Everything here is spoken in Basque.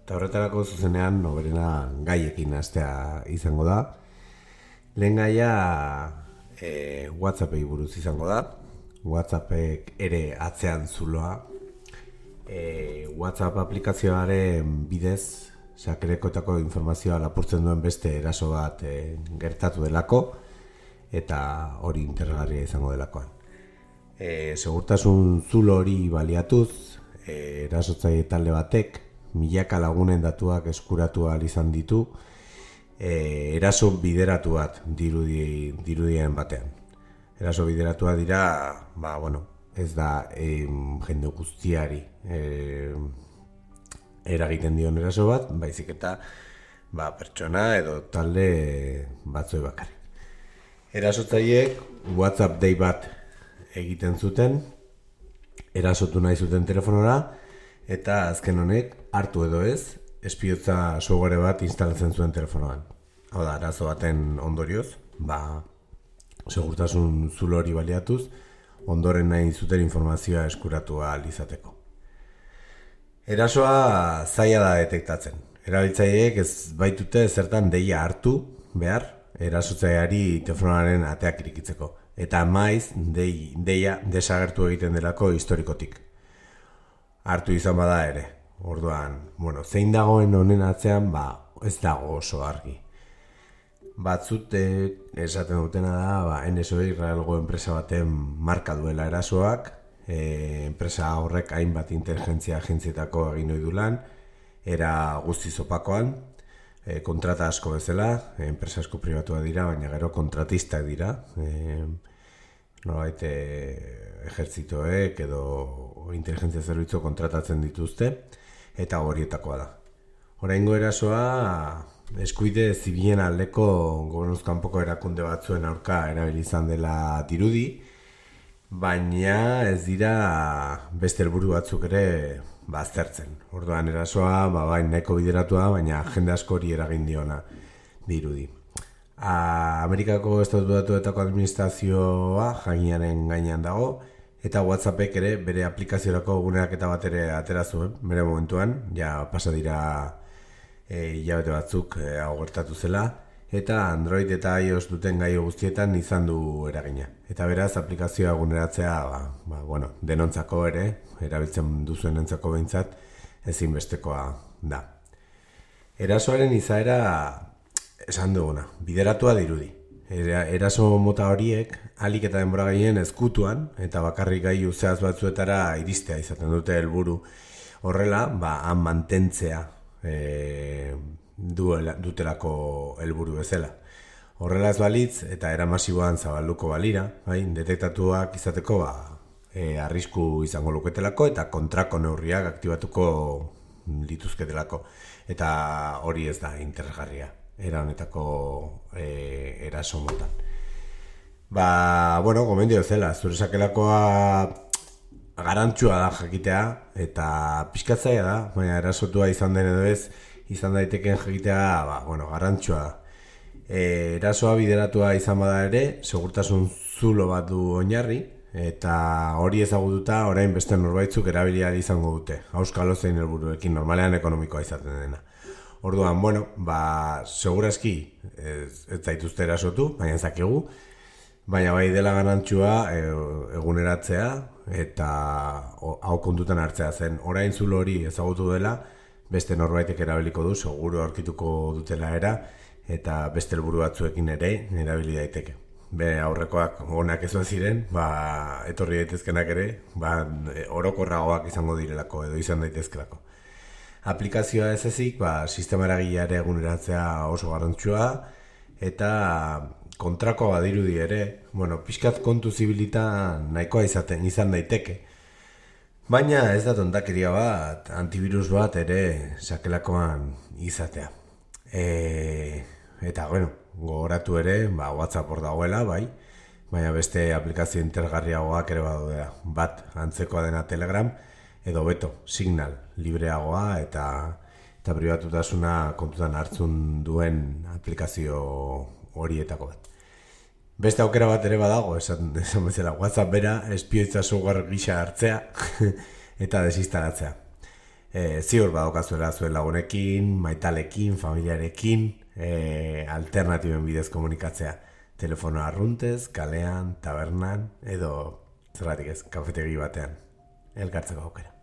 Eta horretarako zuzenean noberena gaiekin hastea izango da. Lehen gaia WhatsAppei buruz izango da. WhatsAppek ere atzean zuloa. WhatsApp aplikazioaren bidez sakerekoetako informazioa lapurtzen duen beste eraso bat gertatu delako, eta hori interesgarria izango delakoan. Segurtasun zulo hori baliatuz, erasotzaile talde batek milaka lagunen datuak eskuratu ahal izan ditu, eraso bideratu bat dirudien batean. Eraso bideratua dira, ez da jende guztiari eragiten dion eraso bat, baizik eta pertsona edo talde batzoi bakarrik. Erasotzaileek WhatsApp dei bat egiten zuten, erasotu nahi zuten telefonora, eta azken honek hartu edo ez, espiotza software bat instalatzen zuen telefonoan. Hau da, arazo baten ondorioz, segurtasun zulo hori baliatuz, ondoren nahi zuten informazioa eskuratu ahal izateko. Erasoa zaila da detektatzen. Erabiltzaileek ez baitute zertan deia hartu behar, erasotzaileari telefonaren ateak irikitzeko. Eta maiz deia desagertu egiten delako historikotik. Hartu izan bada ere. Orduan, zein dagoen honen atzean, ez dago oso argi. Batzute esaten dutena da, NSO Israelgo enpresa baten marka duela erasoak, enpresa horrek hainbat inteligentzia agentzietako egin ohi du lan, era guztiz opakoan, kontrata asko bezala, enpresa asko pribatua dira, baina gero kontratistak dira, nolabait ejertzitoek edo inteligentzia zerbitzu kontratatzen dituzte, eta horietakoa da. Oraingo erasoa eskuide zibilen aldeko gobernuz kanpoko erakunde batzuen aurka erabili izan dela dirudi, baina ez dira beste helburu batzuk ere aztertzen. Orduan erasoa nahiko bideratua, baina jende askori eragin diona dirudi. Amerikako Estatu Batuetako administrazioa jakinaren gainean dago, eta WhatsAppek ere bere aplikaziorako guneaketa bat ere atera zuen, bere momentuan, pasa dira hilabete batzuk hau gertatu zela, eta Android eta iOS duten gaio guztietan izan du eragina. Eta beraz, aplikazioa eguneratzea, denontzako ere, erabiltzen duzuenentzako behintzat, ezinbestekoa da. Erasoaren izaera esan duguna, bideratua dirudi. Eraso mota horiek, ahalik eta denbora gehien ezkutuan, eta bakarrik gailu zehaz batzuetara iristea izaten dute helburu. Horrela, han mantentzea dutelako helburu bezala. Horrela ez balitz, eta era masiboan zabalduko balira, detektatuak izateko arrisku izango luketelako, eta kontrako neurriak aktibatuko lituzketelako. Eta hori ez da interesgarria, era honetako eraso motan. Gomendio zela, zure sakelakoa garantzua da jakitea, eta pixkatzaia da, baina erasotua izan den edo ez, izan daiteken jakitea, garantzua da. Erasoa bideratua izan bada ere, segurtasun zulo bat du oinarri, eta hori ezagututa orain beste norbaitzuk erabiliari izango dute, auskalo zein helburuekin, normalean ekonomikoa izaten dena. Orduan, segurazki ez zaituzte erasotu, baina ezakegu, baina bai dela garantzua eguneratzea eta hau kontutan hartzea zen. Orain zulo hori ezagutu dela, beste norbaitek erabiliko du, seguru aurkituko dutela eta beste helburu batzuekin ere erabili daiteke. Aurrekoak onak ez ziren, etorri daitezkenak ere, orokorragoak izango direlako edo izan daitezkelako. Aplikazioa ez ezik, sistema eragileare eguneratzea oso garrantzua, eta kontrako badirudi ere, pixkat kontu zibilita nahikoa izan daiteke. Baina ez da tontakeria bat, antivirus bat ere sakelakoan izatea. Eta, gogoratu ere, WhatsApp hor dagoela, baina beste aplikazio interesgarriagoak ere badudea. Bat, antzekoa dena Telegram, edo beto, Signal, libreagoa eta pribatutasuna kontutan hartzun duen aplikazio horietako bat. Beste aukera bat ere badago, esan bezala, WhatsApp bera espioitza software gisa hartzea eta desinstalatzea. ziur badaukazuela zuen lagunekin, maitalekin, familiarekin, alternatiben bidez komunikatzea. Telefono arruntez, kalean, tabernan, edo zerratik ez, kafetegi batean. Elkartzeko aukera.